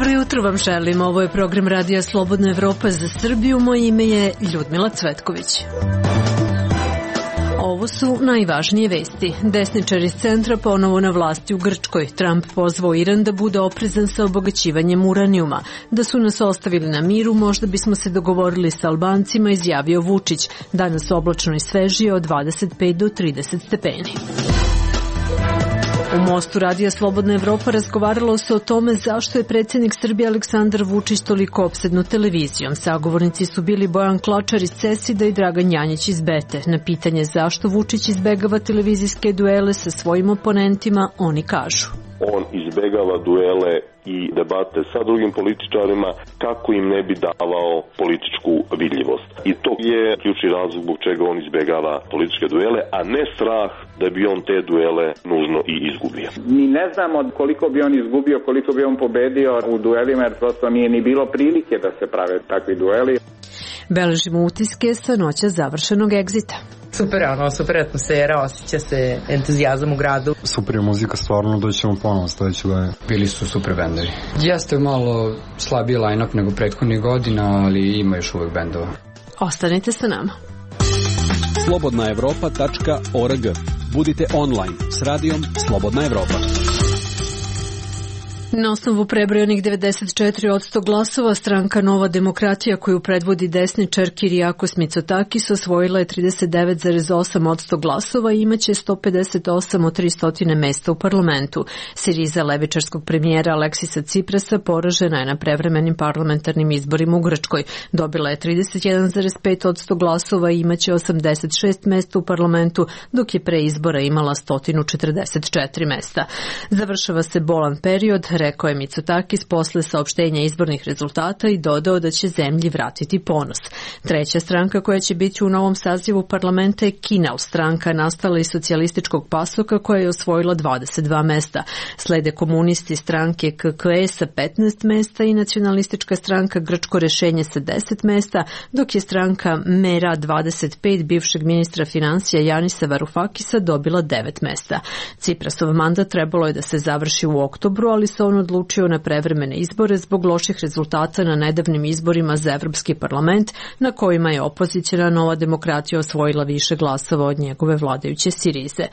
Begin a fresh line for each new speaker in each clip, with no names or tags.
Dobro jutro vam želim. Ovo je program Radija Slobodna Evropa za Srbiju. Moje ime je Ljudmila Cvetković. Ovo su najvažnije vesti. Desničari iz centra ponovo na vlasti u Grčkoj. Trump pozvao Iran da bude oprezan sa obogaćivanjem uranijuma. Da su nas ostavili na miru, možda bismo se dogovorili sa Albancima, izjavio Vučić. Danas oblačno i svežije od 25 do 30 stepeni. U Mostu Radija Slobodna Evropa razgovaralo se o tome zašto je predsjednik Srbije Aleksandar Vučić toliko opsednut televizijom. Sagovornici su bili Bojan Klačar iz CESID-a i Dragan Janjić iz BETE. Na pitanje zašto Vučić izbegava televizijske duele sa svojim oponentima, oni kažu.
On izbegava duele i debate sa drugim političarima kako im ne bi davao političku vidljivost. I to je ključni razlog zbog čega on izbegava političke duele, a ne strah da bi on te duele nužno i izgubio.
Mi ne znamo koliko bi on izgubio, koliko bi on pobedio u duelima, jer prosto nije ni bilo prilike da se prave takvi dueli.
Beležimo utiske sa noća završenog egzita.
Super atmosfera, osjeća se entuzijazam u gradu.
Super je muzika, stvarno doćemo ponovo sledeće godine.
Bili su super bendovi. Jeste malo slabiji line-up nego prethodnih godina, ali ima još uvek bendova.
Ostanite sa nama.
slobodnaevropa.org. Budite online s radijom Slobodna Evropa.
Na osnovu prebrojanih 94% glasova, stranka Nova demokratija koju predvodi desničar Kyriakos Mitsotakis osvojila je 39,8% glasova i imaće 158 od 300 mesta u parlamentu. Siriza levičarskog premijera Aleksisa Ciprasa poražena je na prevremenim parlamentarnim izborima u Grčkoj. Dobila je 31,5% glasova i imaće 86 mesta u parlamentu, dok je pre izbora imala 144 mesta. Završava se bolan period, rekao je Mitsotakis posle saopštenja izbornih rezultata i dodao da će zemlji vratiti ponos. Treća stranka koja će biti u novom sazivu parlamenta je Kinal, stranka nastala iz socijalističkog pasoka koja je osvojila 22 mesta. Slede komunisti stranke KKE sa 15 mesta i nacionalistička stranka Grčko rešenje sa 10 mesta, dok je stranka Mera 25 bivšeg ministra finansija Janisa Varufakisa dobila 9 mesta. Ciprasov mandat trebalo je da se završi u oktobru, ali se on odlučio na prevremene izbore zbog loših rezultata na nedavnim izborima za Evropski parlament, na kojima je opozicijna Nova demokratija osvojila više glasova od njegove vladajuće Sirize.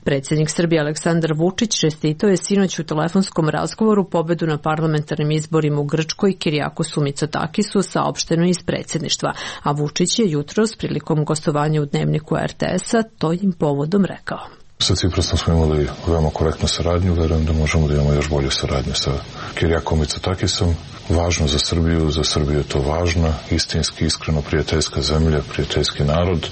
Predsjednik Srbije Aleksandar Vučić čestitao je sinoć u telefonskom razgovoru pobedu na parlamentarnim izborima u Grčkoj Kyriakosu Mitsotakisu, saopšteno iz predsjedništva, a Vučić je jutros prilikom gostovanja u dnevniku RTS-a tojim povodom rekao.
Sa Ciprasom smo imali veoma korektnu saradnju, verujem da možemo da imamo još bolju saradnju sa Kyriakom Mitsotakisom. Važno za Srbiju je to važna, istinski, iskreno prijateljska zemlja, prijateljski narod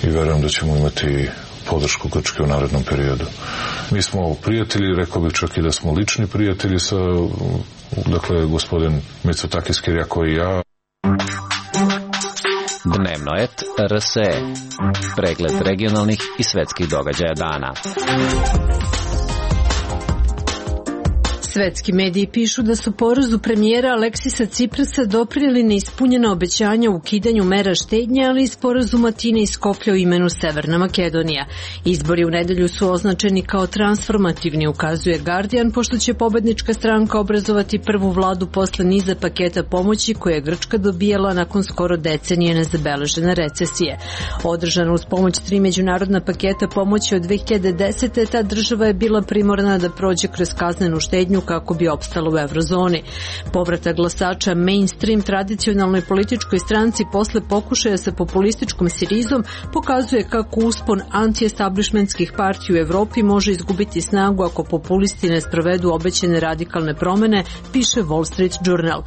i verujem da ćemo imati podršku Grčke u narednom periodu. Mi smo prijatelji, rekao bih čak i da smo lični prijatelji sa, dakle, gospodin Mitsotakis, Kyriako i ja.
Dnevnoet RSE. Pregled regionalnih i svetskih događaja dana.
Svetski mediji pišu da su porazu premijera Aleksisa Ciprasa doprineli neispunjena obećanja u ukidanju mera štednje, ali i sporazum Atine i Skoplja u imenu Severna Makedonija. Izbori u nedelju su označeni kao transformativni, ukazuje Guardian, pošto će pobednička stranka obrazovati prvu vladu posle niza paketa pomoći koje je Grčka dobijala nakon skoro decenije nezabeležene recesije. Održana uz pomoć 3 međunarodna paketa pomoći od 2010. ta država je bila primorana da prođe kroz kaznenu štednju kako bi opstala u eurozoni. Povratak glasača mainstream tradicionalnoj političkoj stranci posle pokušaja sa populističkom Sirizom pokazuje kako uspon anti-establishmentskih partija u Evropi može izgubiti snagu ako populisti ne sprovedu obećane radikalne promene, piše Wall Street Journal.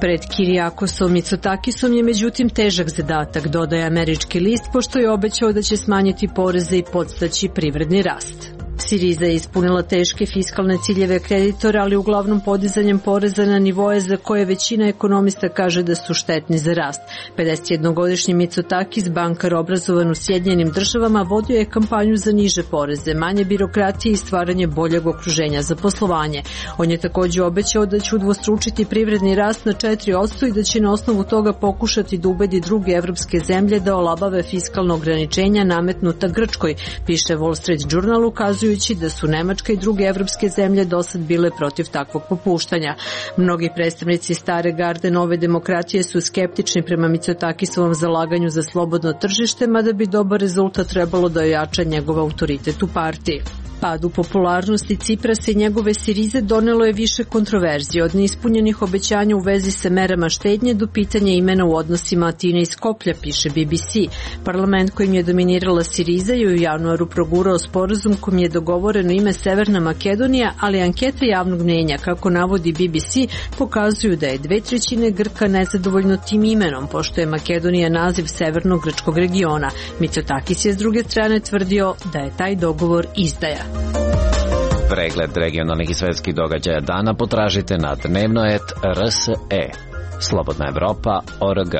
Pred Kyriakosom Mitsotakisom je međutim težak zadatak, dodaje američki list, pošto je obećao da će smanjiti poreze i podstaći privredni rast. Siriza je ispunila teške fiskalne ciljeve kreditora, ali uglavnom podizanjem poreza na nivoje za koje većina ekonomista kaže da su štetni za rast. 51-godišnji Mitsotakis, bankar obrazovan u Sjedinjenim državama, vodio je kampanju za niže poreze, manje birokratije i stvaranje boljeg okruženja za poslovanje. On je također obećao da će udvostručiti privredni rast na 4% i da će na osnovu toga pokušati da ubedi druge evropske zemlje da olabave fiskalno ograničenja nametnuta Grčkoj, piše Wall Street Journal, ukazuje ukazujući da su Nemačka i druge evropske zemlje dosad bile protiv takvog popuštanja. Mnogi predstavnici stare garde nove demokratije su skeptični prema Mitsotakisovom zalaganju za slobodno tržište, mada bi dobar rezultat trebalo da ojača njegov autoritet u partiji. Pad u popularnosti Ciprasa i njegove Sirize donelo je više kontroverzije, od neispunjenih obećanja u vezi sa merama štednje do pitanja imena u odnosima Atine i Skoplja, piše BBC. Parlament kojim je dominirala Siriza je u januaru progurao sporazum kojim je dogovoreno ime Severna Makedonija, ali ankete javnog mnjenja, kako navodi BBC, pokazuju da je 2/3 Grka nezadovoljno tim imenom, pošto je Makedonija naziv severnog grčkog regiona. Mitsotakis je s druge strane tvrdio da je taj dogovor izdaja.
Pregled regionalnih i svetskih događaja dana potražite na dnevnoet.rse. Slobodna Evropa.org.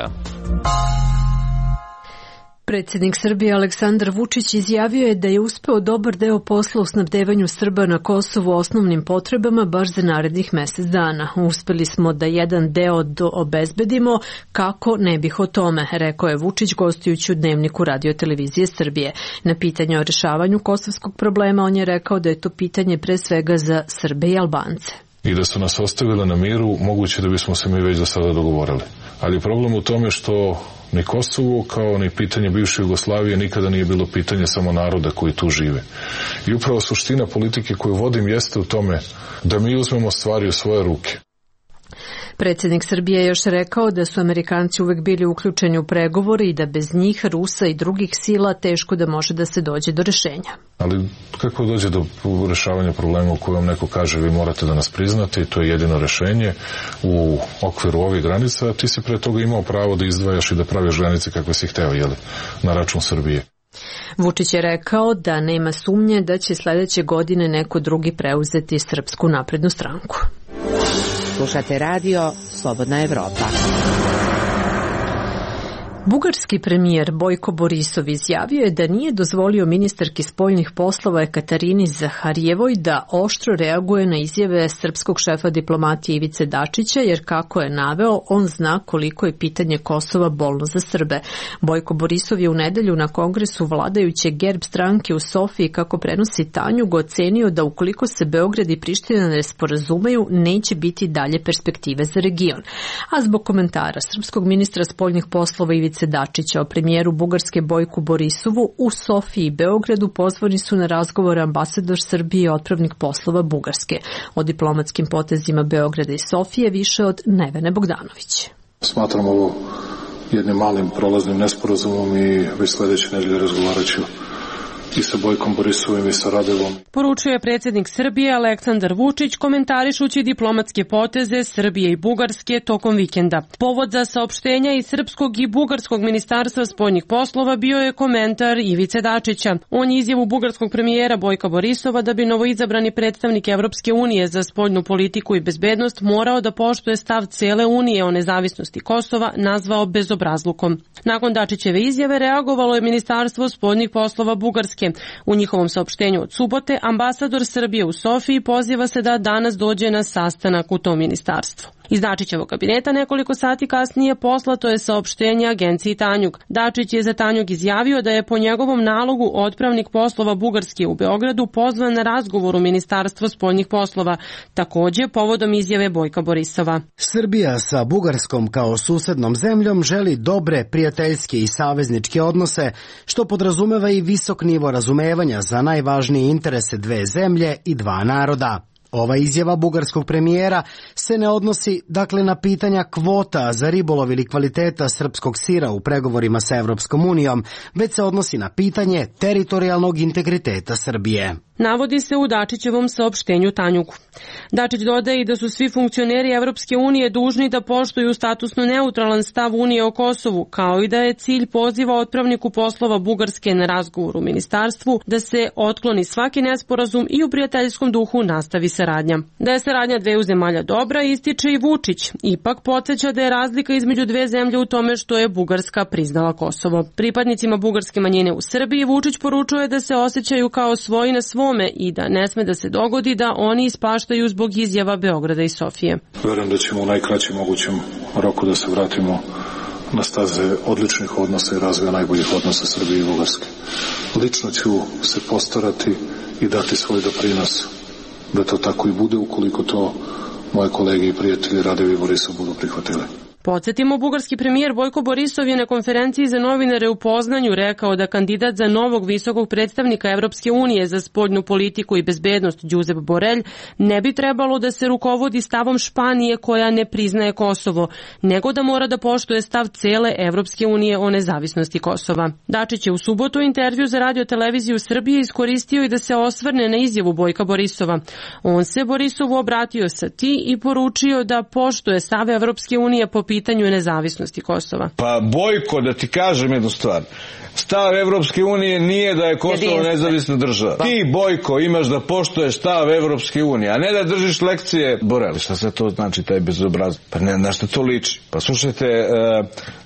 Predsjednik Srbije Aleksandar Vučić izjavio je da je uspeo dobar deo posla u snabdevanju Srba na Kosovu osnovnim potrebama baš za narednih mesec dana. Uspeli smo da jedan deo obezbedimo, kako ne bih o tome, rekao je Vučić gostujući u Dnevniku Radio-televizije Srbije. Na pitanje o rešavanju kosovskog problema on je rekao da je to pitanje pre svega za Srbe i Albance.
I da su nas ostavile na miru, moguće da bismo se mi već do sada dogovorili. Ali problem u tome što ni Kosovo kao ni pitanje bivše Jugoslavije nikada nije bilo pitanje samo naroda koji tu žive. I upravo suština politike koju vodim jeste u tome da mi uzmemo stvari u svoje ruke.
Predsjednik Srbije je još rekao da su Amerikanci uvek bili uključeni u pregovore i da bez njih, Rusa i drugih sila teško da može da se dođe do rešenja.
Ali kako dođe do rešavanja problema u kojem neko kaže vi morate da nas priznate i to je jedino rešenje u okviru ovih granica, ti si pre toga imao pravo da izdvajaš i da praviš granice kakve si hteo, na račun Srbije.
Vučić je rekao da nema sumnje da će sledeće godine neko drugi preuzeti Srpsku naprednu stranku.
Slušate radio Slobodna Evropa.
Bugarski premijer Bojko Borisov izjavio je da nije dozvolio ministarki spoljnih poslova Ekaterini Zaharijevoj da oštro reaguje na izjave srpskog šefa diplomatije Ivice Dačića, jer kako je naveo, on zna koliko je pitanje Kosova bolno za Srbe. Bojko Borisov je u nedelju na kongresu vladajuće GERB stranke u Sofiji, kako prenosi Tanjug, ocenio da ukoliko se Beograd i Priština ne sporazumeju, neće biti dalje perspektive za region. A zbog komentara srpskog ministra spoljnih poslova Ivice Dačića o premijeru Bugarske Bojku Borisovu u Sofiji i Beogradu pozvani su na razgovor ambasador Srbije i otpravnik poslova Bugarske. O diplomatskim potezima Beograda i Sofije više od Nevene Bogdanović.
Smatram ovo jednim malim prolaznim nesporazumom i već sledeće nedelje razgovarat ću i sa Bojkom Borisovim i sa Radevom.
Poručuje predsjednik Srbije Aleksandar Vučić komentarišući diplomatske poteze Srbije i Bugarske tokom vikenda. Povod za saopštenja iz srpskog i bugarskog ministarstva spoljnih poslova bio je komentar Ivice Dačića. On je izjavu bugarskog premijera Bojka Borisova da bi novoizabrani predstavnik Evropske unije za spoljnu politiku i bezbednost morao da poštuje stav cele Unije o nezavisnosti Kosova nazvao bezobrazlukom. Nakon Dačićeve izjave reagovalo je ministarstvo spoljnih poslova Bugarske. U njihovom saopštenju od subote ambasador Srbije u Sofiji poziva se da danas dođe na sastanak u tom ministarstvu. Iz Dačićevog kabineta nekoliko sati kasnije poslato je saopštenje agenciji Tanjug. Dačić je za Tanjug izjavio da je po njegovom nalogu otpravnik poslova Bugarske u Beogradu pozvan na razgovor u Ministarstvo spoljnih poslova, takođe povodom izjave Bojka Borisova.
Srbija sa Bugarskom kao susednom zemljom želi dobre, prijateljske i savezničke odnose, što podrazumeva i visok nivo razumevanja za najvažnije interese dve zemlje i dva naroda. Ova izjava bugarskog premijera se ne odnosi dakle na pitanja kvota za ribolov ili kvaliteta srpskog sira u pregovorima sa Evropskom unijom, već se odnosi na pitanje teritorijalnog integriteta Srbije.
Navodi se u Dačićevom saopštenju Tanjugu. Dačić dodaje i da su svi funkcioneri Evropske unije dužni da poštuju statusno neutralan stav Unije o Kosovu, kao i da je cilj poziva otpravniku poslova Bugarske na razgovor u ministarstvu da se otkloni svaki nesporazum i u prijateljskom duhu nastavi saradnja. Da je saradnja dveju zemalja dobra, ističe i Vučić. Ipak podsjeća da je razlika između dve zemlje u tome što je Bugarska priznala Kosovo. Pripadnicima bugarske manjine u Srbiji Vučić poručuje da se osjećaju kao svoji na svome i da ne sme da se dogodi da oni ispaštaju zbog izjava Beograda i Sofije.
Verujem da ćemo u najkraćem mogućem roku da se vratimo na staze odličnih odnosa i razvoja najboljih odnosa Srbije i Bugarske. Lično ću se postarati i dati svoj doprinos da to tako i bude, ukoliko to moje kolege i prijatelji Radev i Borisov budu prihvatili.
Podsjetimo, bugarski premijer Bojko Borisov je na konferenciji za novinare u Poznanju rekao da kandidat za novog visokog predstavnika Evropske unije za spoljnu politiku i bezbednost Josep Borrell ne bi trebalo da se rukovodi stavom Španije koja ne priznaje Kosovo, nego da mora da poštuje stav cele Evropske unije o nezavisnosti Kosova. Dačić je u subotu intervju za Radio-televiziju Srbije iskoristio i da se osvrne na izjavu Bojka Borisova. On se Borisovu obratio sa ti i poručio da poštuje stav Evropske unije po pitanju nezavisnosti Kosova.
Pa Bojko, da ti kažem jednu stvar, stav Evropske unije nije da je Kosovo nezavisna država. Ti, Bojko, imaš da poštuješ stav Evropske unije, a ne da držiš lekcije Borrellu. Šta se to znači, taj bezobrazluk? Pa ne, na što to liči? Pa slušajte,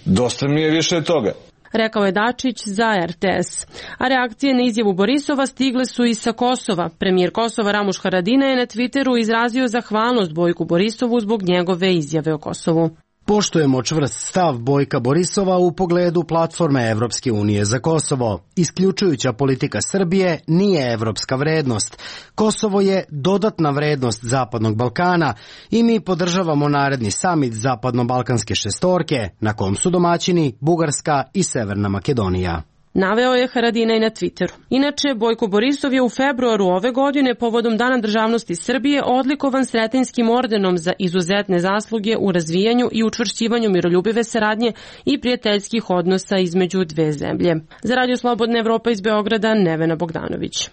dosta mi je više toga.
Rekao je Dačić za RTS. A reakcije na izjavu Borisova stigle su i sa Kosova. Premijer Kosova Ramuš Haradinaj je na Twitteru izrazio zahvalnost Bojku Borisovu zbog njegove izjave o Kosovu.
Poštujemo čvrst stav Bojka Borisova u pogledu platforme Evropske unije za Kosovo. Isključujuća politika Srbije nije evropska vrednost. Kosovo je dodatna vrednost Zapadnog Balkana i mi podržavamo naredni samit Zapadno-Balkanske šestorke, na kom su domaćini Bugarska i Severna Makedonija.
Naveo je Haradinaj na Twitteru. Inače, Bojko Borisov je u februaru ove godine povodom Dana državnosti Srbije odlikovan Sretenjskim ordenom za izuzetne zasluge u razvijanju i učvršćivanju miroljubive saradnje i prijateljskih odnosa između dve zemlje. Za Radio Slobodna Evropa iz Beograda, Nevena Bogdanović.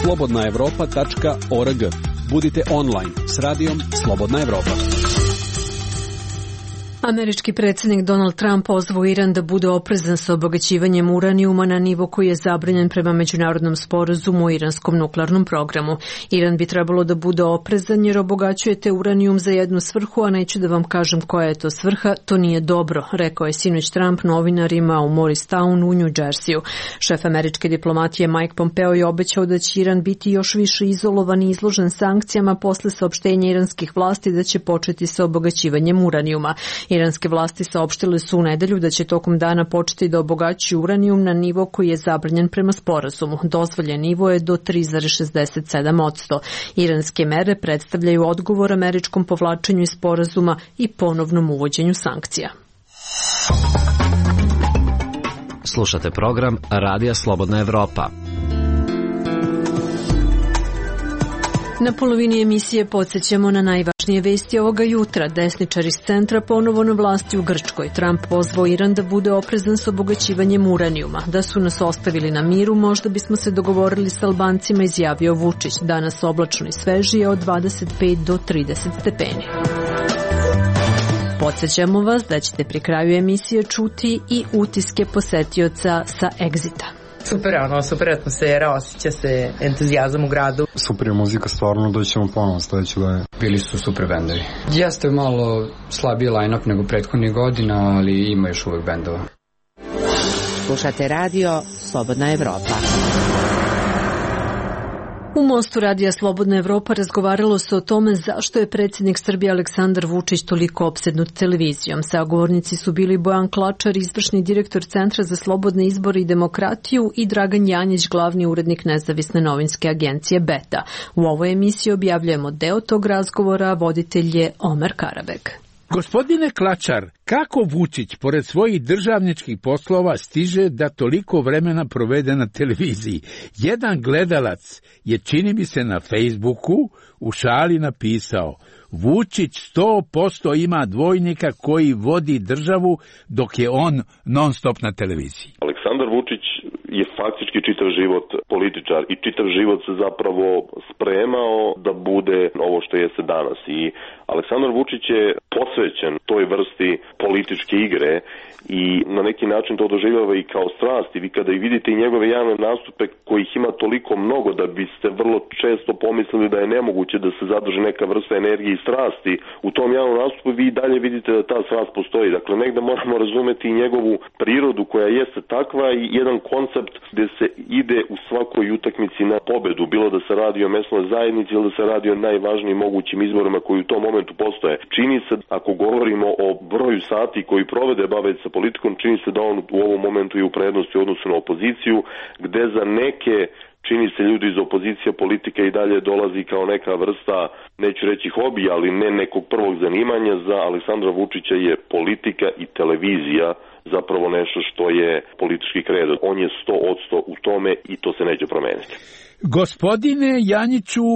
slobodnaevropa.org. Budite online s radijom Slobodna Evropa.
Američki predsjednik Donald Trump pozvao Iran da bude oprezan sa obogaćivanjem uranijuma na nivo koji je zabranjen prema međunarodnom sporazumu o iranskom nuklearnom programu. Iran bi trebalo da bude oprezan jer obogaćujete uranijum za jednu svrhu, a neću da vam kažem koja je to svrha, to nije dobro, rekao je sinoć Trump novinarima u Morristown u New Jerseyu. Šef američke diplomatije Mike Pompeo je obećao da će Iran biti još više izolovan i izložen sankcijama posle saopštenja iranskih vlasti da će početi sa obogaćivanjem uranijuma. Iranske vlasti saopštile su u nedelju da će tokom dana početi da obogaćuju uranijum na nivo koji je zabranjen prema sporazumu. Dozvoljen nivo je do 3,67%. Iranske mere predstavljaju odgovor američkom povlačenju iz sporazuma i ponovnom uvođenju sankcija.
Slušate program Radija Slobodna Evropa.
Na polovini emisije podsjećamo na najvažnije vesti ovoga jutra. Desničari iz centra ponovo na vlasti u Grčkoj. Trump pozvao Iran da bude oprezan s obogaćivanjem uranijuma. Da su nas ostavili na miru, možda bismo se dogovorili s Albancima, izjavio Vučić. Danas oblačno i svežije od 25 do 30 stepeni. Podsjećamo vas da ćete pri kraju emisije čuti i utiske posetioca sa Exita.
Super atmosfera, osjeća se entuzijazam u gradu.
Super je muzika, stvarno doćemo ponovo sledeće godine.
Bili su super bendovi. Jeste malo slabiji line-up nego prethodnih godina, ali ima još uvek bendova.
Slušate radio Slobodna Evropa.
U Mostu radija Slobodna Evropa razgovaralo se o tome zašto je predsjednik Srbije Aleksandar Vučić toliko opsednut televizijom. Sagovornici su bili Bojan Klačar, izvršni direktor Centra za slobodne izbore i demokratiju, i Dragan Janjić, glavni urednik nezavisne novinske agencije Beta. U ovoj emisiji objavljujemo deo tog razgovora, voditelj je Omer Karabek.
Gospodine Klačar, kako Vučić, pored svojih državničkih poslova, stiže da toliko vremena provede na televiziji? Jedan gledalac je, čini mi se, na Facebooku u šali napisao: Vučić 100% ima dvojnika koji vodi državu dok je on non stop na televiziji.
Aleksandar Vučić je faktički čitav život političar i čitav život se zapravo spremao da bude ovo što jeste danas. I Aleksandar Vučić je posvećen toj vrsti političke igre i na neki način to doživljava i kao strast. I vi kada i vidite i njegove javne nastupe kojih ima toliko mnogo da biste vrlo često pomislili da je nemoguće da se zadrži neka vrsta energije i strasti u tom javnom nastupu, vi i dalje vidite da ta strast postoji. Dakle, negde moramo razumeti i njegovu prirodu koja jeste takva i jedan koncept gde se ide u svakoj utakmici na pobedu, bilo da se radi o mesnoj zajednici ili da se radi o najvažnijim mogućim izborima koji u tom momentu postoje. Čini se, ako govorimo govorimo o broju sati koji provede baveći se politikom, čini se da on u ovom momentu je u prednosti u odnosu na opoziciju, gde za neke čini se ljudi iz opozicije politika i dalje dolazi kao neka vrsta, neću reći hobija, ali ne nekog prvog zanimanja. Za Aleksandra Vučića je politika i televizija zapravo nešto što je politički kredo. On je 100% u tome i to se neće promeniti.
Gospodine Janjiću,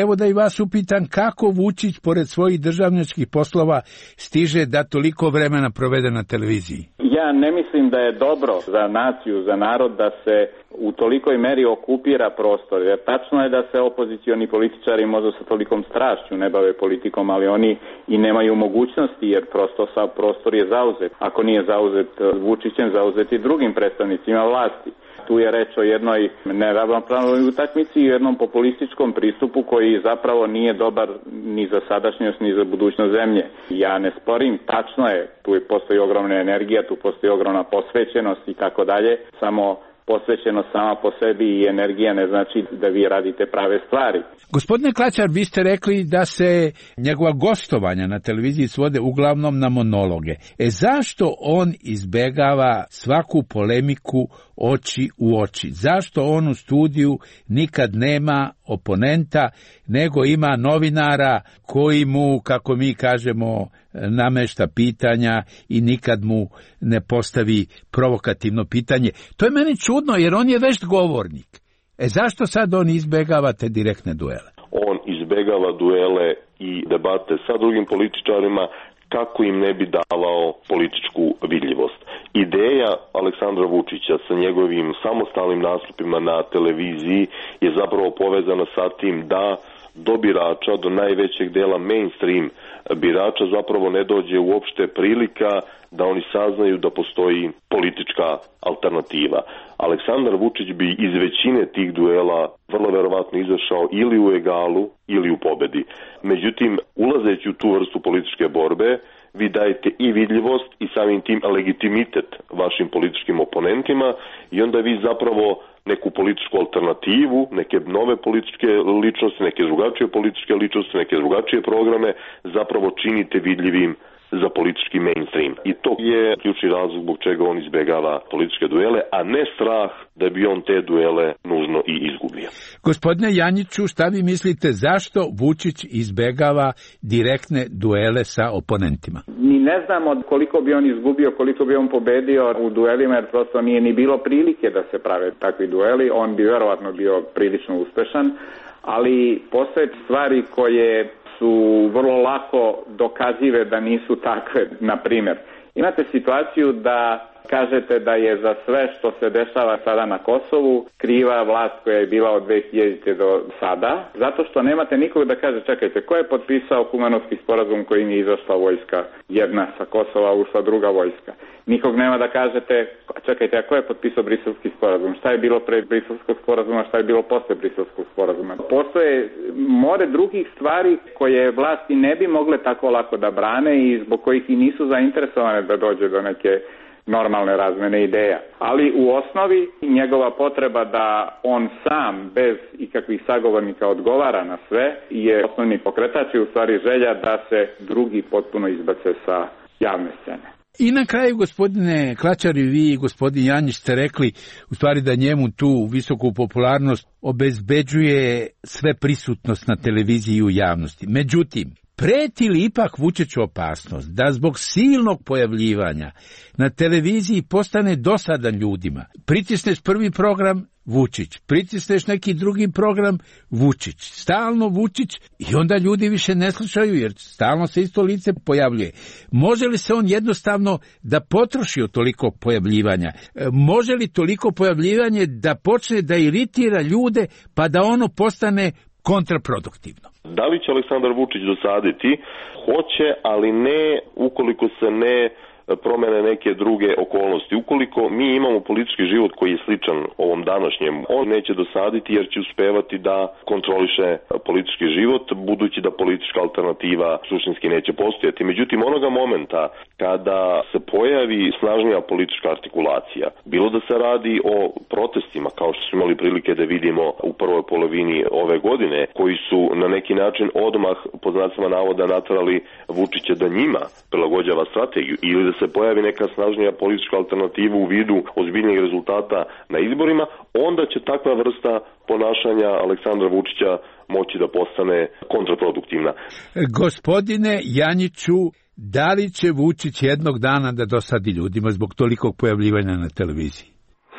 evo da i vas upitam, kako Vučić pored svojih državničkih poslova stiže da toliko vremena provede na televiziji?
Ja ne mislim da je dobro za naciju, za narod da se u tolikoj meri okupira prostor. Jer tačno je da se opozicioni političari možda sa tolikom strašću ne bave politikom, ali oni i nemaju mogućnosti jer prosto sav prostor je zauzet. Ako nije zauzet Vučićem, zauzet i drugim predstavnicima vlasti. Tu je reč o jednoj neravnopravnoj utakmici i jednom populističkom pristupu koji zapravo nije dobar ni za sadašnjost ni za budućnost zemlje. Ja ne sporim, tačno je, tu postoji ogromna energija, tu postoji ogromna posvećenost i tako dalje, samo posvećenost sama po sebi i energija ne znači da vi radite prave stvari.
Gospodine Klačar, vi ste rekli da se njegova gostovanja na televiziji svode uglavnom na monologe. Zašto on izbegava svaku polemiku oči u oči? Zašto on u studiju nikad nema oponenta, nego ima novinara koji mu, kako mi kažemo, namešta pitanja i nikad mu ne postavi provokativno pitanje? To je meni čudno, jer on je vešt govornik. Zašto sad on izbegava te direktne duele?
On izbegava duele i debate sa drugim političarima kako im ne bi davao političku vidljivost. Ideja Aleksandra Vučića sa njegovim samostalnim nastupima na televiziji je zapravo povezana sa tim da do birača, do najvećeg dela mainstream birača zapravo ne dođe uopšte prilika da oni saznaju da postoji politička alternativa. Aleksandar Vučić bi iz većine tih duela vrlo verovatno izašao ili u egalu ili u pobedi. Međutim, ulazeći u tu vrstu političke borbe, vi dajete i vidljivost i samim tim legitimitet vašim političkim oponentima i onda vi zapravo neku političku alternativu, neke nove političke ličnosti, neke drugačije političke ličnosti, neke drugačije programe zapravo činite vidljivim za politički mainstream. I to je ključni razlog zbog čega on izbegava političke duele, a ne strah da bi on te duele nužno i izgubio.
Gospodine Janjiću, šta vi mislite, zašto Vučić izbegava direktne duele sa oponentima?
Ni ne znamo koliko bi on izgubio, koliko bi on pobedio u duelima, jer prosto nije ni bilo prilike da se prave takvi dueli. On bi verovatno bio prilično uspešan, ali postoje stvari koje su vrlo lako dokazive da nisu takve. Na primjer, imate situaciju da kažete da je za sve što se dešava sada na Kosovu kriva vlast koja je bila od 2000. do sada, zato što nemate nikog da kaže čekajte, ko je potpisao Kumanovski sporazum kojim je izašla vojska jedna sa Kosova, ušla druga vojska. Nikog nema da kažete čekajte, a ko je potpisao Briselski sporazum, šta je bilo pre Briselskog sporazuma, šta je bilo posle Briselskog sporazuma. Postoje more drugih stvari koje vlasti ne bi mogle tako lako da brane i zbog kojih i nisu zainteresovane da dođe do neke normalne razmene ideja. Ali u osnovi njegova potreba da on sam bez ikakvih sagovornika odgovara na sve je osnovni pokretač i u stvari želja da se drugi potpuno izbace sa javne scene.
I na kraju, gospodine Klačar, i vi i gospodin Janjić ste rekli u stvari da njemu tu visoku popularnost obezbeđuje sve prisutnost na televiziji i u javnosti. Međutim, preti li ipak Vučiću opasnost da zbog silnog pojavljivanja na televiziji postane dosadan ljudima? Pritisneš prvi program, Vučić, pritisneš neki drugi program, Vučić, stalno Vučić i onda ljudi više ne slušaju jer stalno se isto lice pojavljuje. Može li se on jednostavno da potroši od toliko pojavljivanja? Može li toliko pojavljivanje da počne da iritira ljude pa da ono postane kontraproduktivno?
Da li će Aleksandar Vučić dosaditi? Hoće, ali ne ukoliko se ne promene neke druge okolnosti. Ukoliko mi imamo politički život koji je sličan ovom današnjem, on neće dosaditi jer će uspevati da kontroliše politički život, budući da politička alternativa suštinski neće postojati. Međutim, onoga momenta kada se pojavi snažnija politička artikulacija, bilo da se radi o protestima, kao što smo imali prilike da vidimo u prvoj polovini ove godine, koji su na neki način odmah, po znacima navoda, naterali Vučića da njima prilagođava strategiju, ili da se pojavi neka snažnija politička alternativa u vidu ozbiljnih rezultata na izborima, onda će takva vrsta ponašanja Aleksandra Vučića moći da postane kontraproduktivna.
Gospodine Janjiću, da li će Vučić jednog dana da dosadi ljudima zbog tolikog pojavljivanja na televiziji?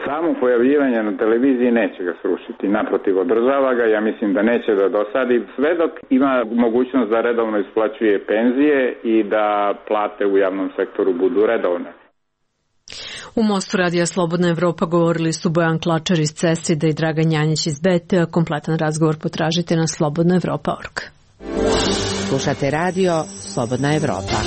Samo pojavljivanje na televiziji neće ga srušiti, naprotiv, održava ga, ja mislim da neće da dosadi, sve dok ima mogućnost da redovno isplaćuje penzije i da plate u javnom sektoru budu redovne.
U Mostu Radija Slobodna Evropa govorili su Bojan Klačar iz CESID-a i Dragan Janjić iz BT. Kompletan razgovor potražite na slobodnaevropa.org.
Slušate radio Slobodna Evropa.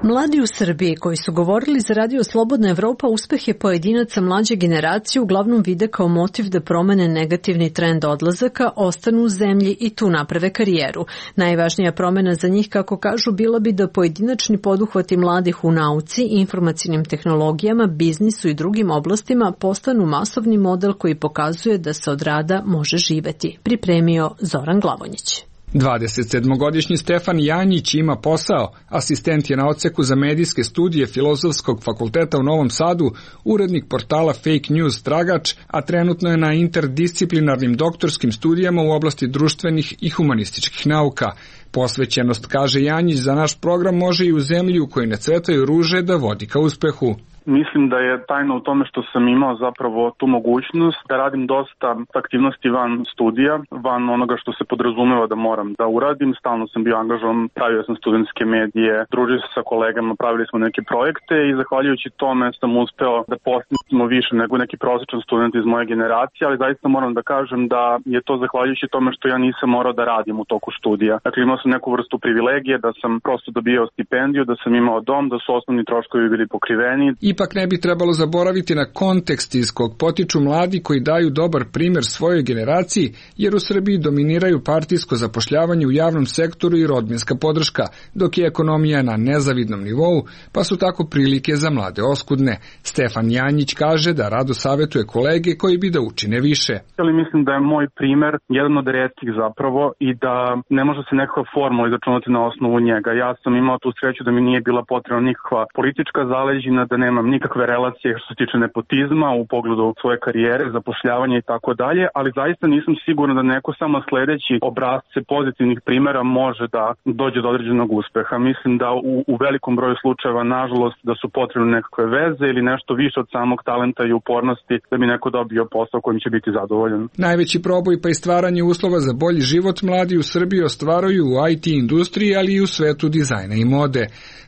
Mladi u Srbiji koji su govorili za radio Slobodna Evropa uspehe pojedinaca mlađe generacije uglavnom vide kao motiv da promene negativni trend odlazaka, ostanu u zemlji i tu naprave karijeru. Najvažnija promena za njih, kako kažu, bila bi da pojedinačni poduhvati mladih u nauci, informacijnim tehnologijama, biznisu i drugim oblastima postanu masovni model koji pokazuje da se od rada može živeti. Pripremio Zoran Glavonjić.
27-godišnji Stefan Janjić ima posao, asistent je na odseku za medijske studije Filozofskog fakulteta u Novom Sadu, urednik portala Fake News Tragač, a trenutno je na interdisciplinarnim doktorskim studijama u oblasti društvenih i humanističkih nauka. Posvećenost, kaže Janjić, za naš program može i u zemlji u kojoj ne cvetaju ruže da vodi ka uspehu.
Mislim da je tajna u tome što sam imao zapravo tu mogućnost da radim dosta aktivnosti van studija, van onoga što se podrazumeva da moram da uradim. Stalno sam bio angažovan, pravio sam studentske medije, družio se sa kolegama, pravili smo neke projekte i zahvaljujući tome sam uspeo da postignemo više nego neki prosječan student iz moje generacije, ali zaista moram da kažem da je to zahvaljujući tome što ja nisam morao da radim u toku studija. Dakle, imao sam neku vrstu privilegije da sam prosto dobijao stipendiju, da sam imao dom, da su osnovni troškovi bili pokriveni.
Ipak ne bi trebalo zaboraviti na kontekst iz kog potiču mladi koji daju dobar primer svojoj generaciji, jer u Srbiji dominiraju partijsko zapošljavanje u javnom sektoru i rodbinska podrška, dok je ekonomija na nezavidnom nivou, pa su tako prilike za mlade oskudne. Stefan Janjić kaže da rado savetuje kolege koji bi da učine više.
Ali mislim da je moj primer jedan od retkih zapravo i da ne može se nekakva formula izračunati na osnovu njega. Ja sam imao tu sreću da mi nije bila potrebna nikakva politička zaleđina, da nemam nikakve relacije što se tiče nepotizma u pogledu svoje karijere, zapošljavanja i tako dalje, ali zaista nisam siguran da neko samo sledeći obrazce pozitivnih primera može da dođe do određenog uspeha. Mislim da u velikom broju slučajeva, nažalost, da su potrebne nekakve veze ili nešto više od samog talenta i upornosti da bi neko dobio posao kojim će biti zadovoljan.
Najveći proboj pa i stvaranje uslova za bolji život mladi u Srbiji ostvaruju u IT industriji, ali i u svetu dizajna i mode.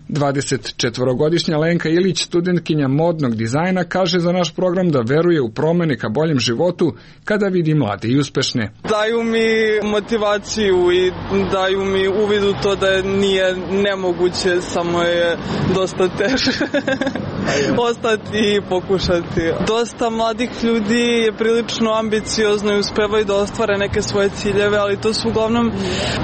24-godišnja Lenka Ilić, studentkinja modnog dizajna, kaže za naš program da veruje u promene ka boljem životu kada vidi mlade i uspešne.
Daju mi motivaciju i daju mi uvid u to da nije nemoguće, samo je dosta teže ostati i pokušati. Dosta mladih ljudi je prilično ambiciozno i uspevaju da ostvare neke svoje ciljeve, ali to su uglavnom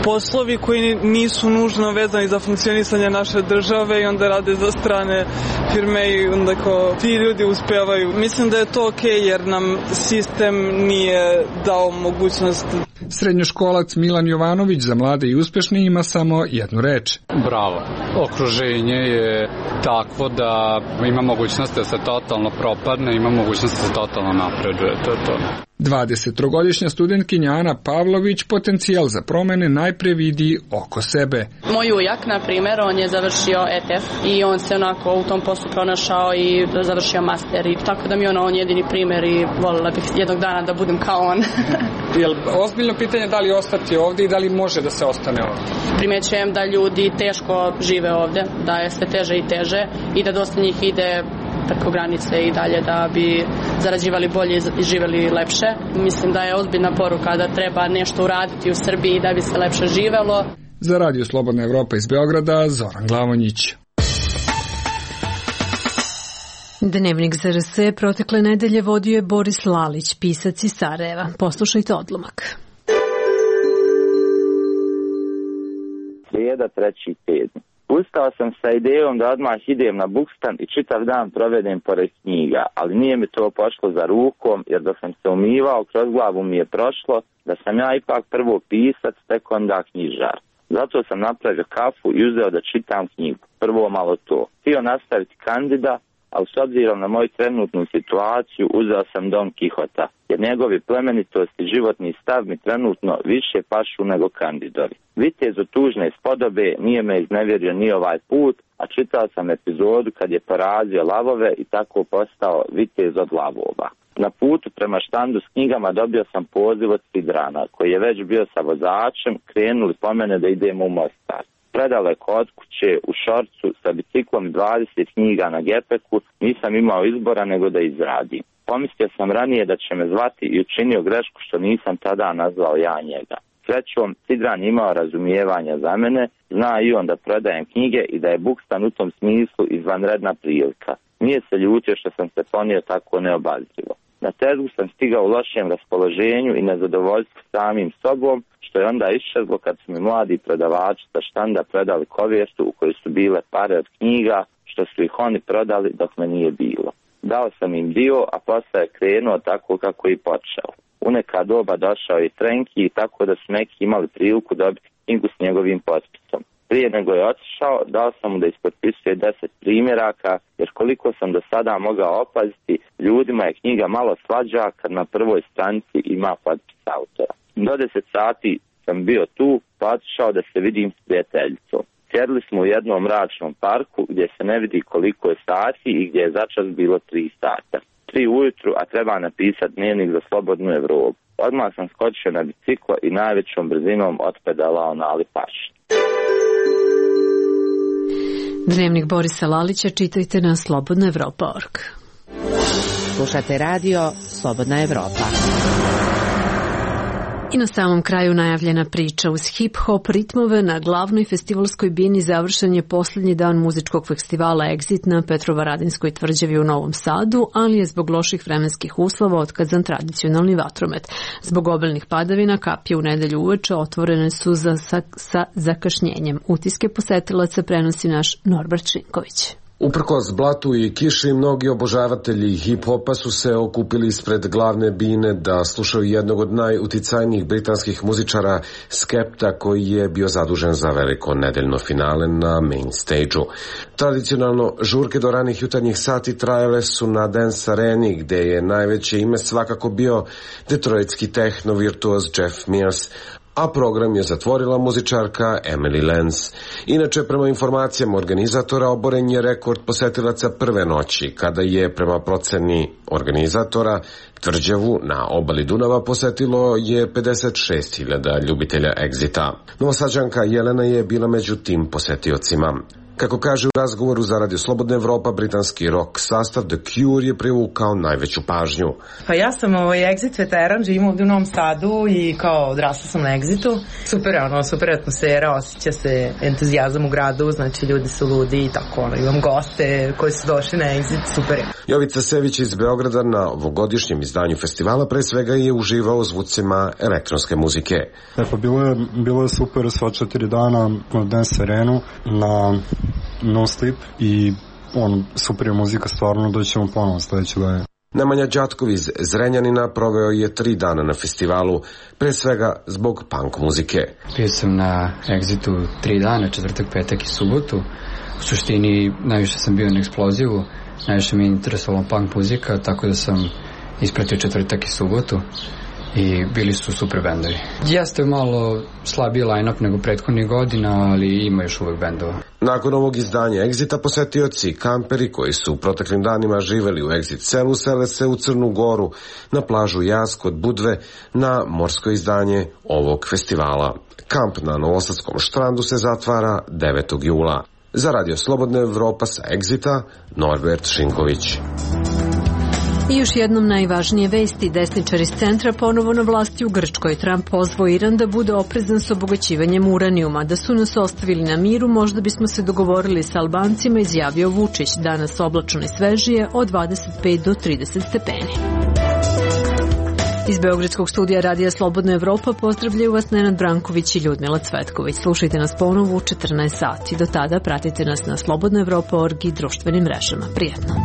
poslovi koji nisu nužno vezani za funkcionisanje naše države i onda rade za strane firme i onda kao ti ljudi uspevaju. Mislim da je to okej jer nam sistem nije dao mogućnost.
Srednjoškolac Milan Jovanović za mlade i uspešne ima samo jednu reč.
Bravo. Okruženje je takvo da ima mogućnost da se totalno propadne, ima mogućnost da se totalno napreduje. To je to.
23-godišnja studentkinja Ana Pavlović potencijal za promene najpre vidi oko sebe.
Moj ujak, na primjer, on je završio ETF i on se onako u tom poslu pronašao i završio master. I tako da mi je on jedini primjer i voljela bih jednog dana da budem kao on.
Jel ozbiljno pitanje da li ostati ovdje i da li može da se ostane ovdje?
Primećujem da ljudi teško žive ovdje, da je sve teže i teže i da dosta njih ide preko granice i dalje da bi zarađivali bolje i živeli lepše. Mislim da je ozbiljna poruka da treba nešto uraditi u Srbiji da bi se lepše živelo.
Za Radio Slobodna Evropa iz Beograda, Zoran Glavonjić.
Dnevnik za RS protekle nedelje vodio je Boris Lalić, pisac iz Sarajeva. Poslušajte odlomak.
Srijeda, 3.7. Ustao sam sa idejom da odmah idem na bukstan i čitav dan provedem pored knjiga, ali nije mi to pošlo za rukom, jer da sam se umivao, kroz glavu mi je prošlo da sam ja ipak prvo pisac, tek onda knjižar. Zato sam napravio kafu i uzeo da čitam knjigu. Prvo malo to. Htio nastaviti Kandida, ali s obzirom na moju trenutnu situaciju uzeo sam Don Kihota, jer njegovi plemenitost i životni stav mi trenutno više pašu nego Kandidovi. Vitez od tužne spodobe nije me iznevjerio ni ovaj put, a čitao sam epizodu kad je porazio lavove i tako postao vitez od lavova. Na putu prema štandu s knjigama dobio sam poziv od Sidrana, koji je već bio sa vozačem, krenuli po mene da idemo u Mostar. Predaleko od kuće, u šorcu, sa biciklom 20 knjiga na gepeku, nisam imao izbora nego da izradim. Pomislio sam ranije da će me zvati i učinio grešku što nisam tada nazvao ja njega. Srećom, Sidran imao razumijevanja za mene, zna i on da prodajem knjige i da je bukstan u tom smislu izvanredna prilika. Nije se ljutio što sam se ponio tako neobazrivo. Na tezgu sam stigao u lošem raspoloženju i nezadovoljstvu samim sobom, što je onda iščezlo kad su mi mladi prodavači sa štanda predali kovjertu u kojoj su bile pare od knjiga, što su ih oni prodali dok me nije bilo. Dao sam im dio, a posle je krenuo tako kako je i počeo. U neka doba došao i Trenki, tako da su neki imali priliku dobiti knjigu s njegovim potpisom. Prije nego je otišao, dao sam mu da ispotpisuje 10 primjeraka, jer koliko sam do sada mogao opaziti, ljudima je knjiga malo slađa kad na prvoj stranici ima potpis autora. Do 10 sati sam bio tu, pa otišao da se vidim s prijateljicom. Sjedli smo u jednom mračnom parku gdje se ne vidi koliko je sati i gdje je začas bilo 3 sata. 3 ujutru, a treba napisati dnevnik za Slobodnu Evropu. Odmah sam skočio na biciklo i najvećom brzinom otpedalao na Alipaš.
Dnevnik Borisa Lalića čitajte na slobodnaevropa.org.
Slušate radio Slobodna Evropa.
I na samom kraju najavljena priča. Uz hip-hop ritmove na glavnoj festivalskoj bini završen je posljednji dan muzičkog festivala Exit na Petrovaradinskoj tvrđavi u Novom Sadu, ali je zbog loših vremenskih uslova otkazan tradicionalni vatromet. Zbog obilnih padavina kapije u nedelju uveče otvorene su sa zakašnjenjem. Utiske posetilaca prenosi naš Norbert Šinković.
Uprkos blatu i kiši, mnogi obožavatelji hip-hopa su se okupili ispred glavne bine da slušaju jednog od najuticajnijih britanskih muzičara Skepta, koji je bio zadužen za veliko nedeljno finale na main stage-u. Tradicionalno, žurke do ranih jutarnjih sati trajale su na Dance Areni, gde je najveće ime svakako bio detroitski tehno virtuoz Jeff Mears, a program je zatvorila muzičarka Emily Lenz. Inače, prema informacijama organizatora, oboren je rekord posetilaca prve noći, kada je, prema proceni organizatora, tvrđavu na obali Dunava posetilo je 56.000 ljubitelja Exita. Novosađanka Jelena je bila među tim posetiocima. Kako kaže u razgovoru za Radio Slobodna Evropa, britanski rock sastav The Cure je privukao najveću pažnju.
Pa ja sam Exit veteran, živim ovdje u Novom Sadu i kao odrasla sam na Exitu. Super atmosfera, osjeća se entuzijazam u gradu, znači ljudi su ludi i tako, imam goste koji su došli na Exit, super.
Jovica Sević iz Beograda na ovogodišnjem izdanju festivala pre svega je uživao u zvucima elektronske muzike.
Pa bilo je super sva 4 dana na Dance Arenu, na No Sleep i super je muzika, stvarno doćemo ponovo sledeće godine.
Nemanja Đatkov iz Zrenjanina proveo je 3 dana na festivalu, pre svega zbog punk muzike.
Bio sam na Exitu 3 dana, četvrtak, petak i subotu. U suštini najviše sam bio na eksplozivu, najviše mi je interesovala punk muzika, tako da sam ispratio četvrtak i subotu i bili su super bendovi. Jeste malo slabiji line-up nego prethodnih godina, ali ima još uvek bendova.
Nakon ovog izdanja Exita posetioci i kamperi koji su u proteklim danima živeli u Exit selu sele se u Crnu Goru, na plažu Jaz kod Budve, na morsko izdanje ovog festivala. Kamp na Novosadskom štrandu se zatvara 9. jula. Za Radio Slobodna Evropa sa Exita, Norbert Šinković.
I još jednom najvažnije vesti. Desničari iz centra ponovo na vlasti u Grčkoj. Trump pozvao Iran da bude oprezan s obogaćivanjem uranijuma. Da su nas ostavili na miru, možda bismo se dogovorili sa Albancima, izjavio Vučić. Danas oblačno i svežije od 25 do 30 stepeni. Iz Beogradskog studija Radija Slobodna Evropa pozdravljaju vas Nenad Branković i Ljudmila Cvetković. Slušajte nas ponovo u 14 sati. Do tada pratite nas na slobodnaevropa.org i društvenim mrežama. Prijetno.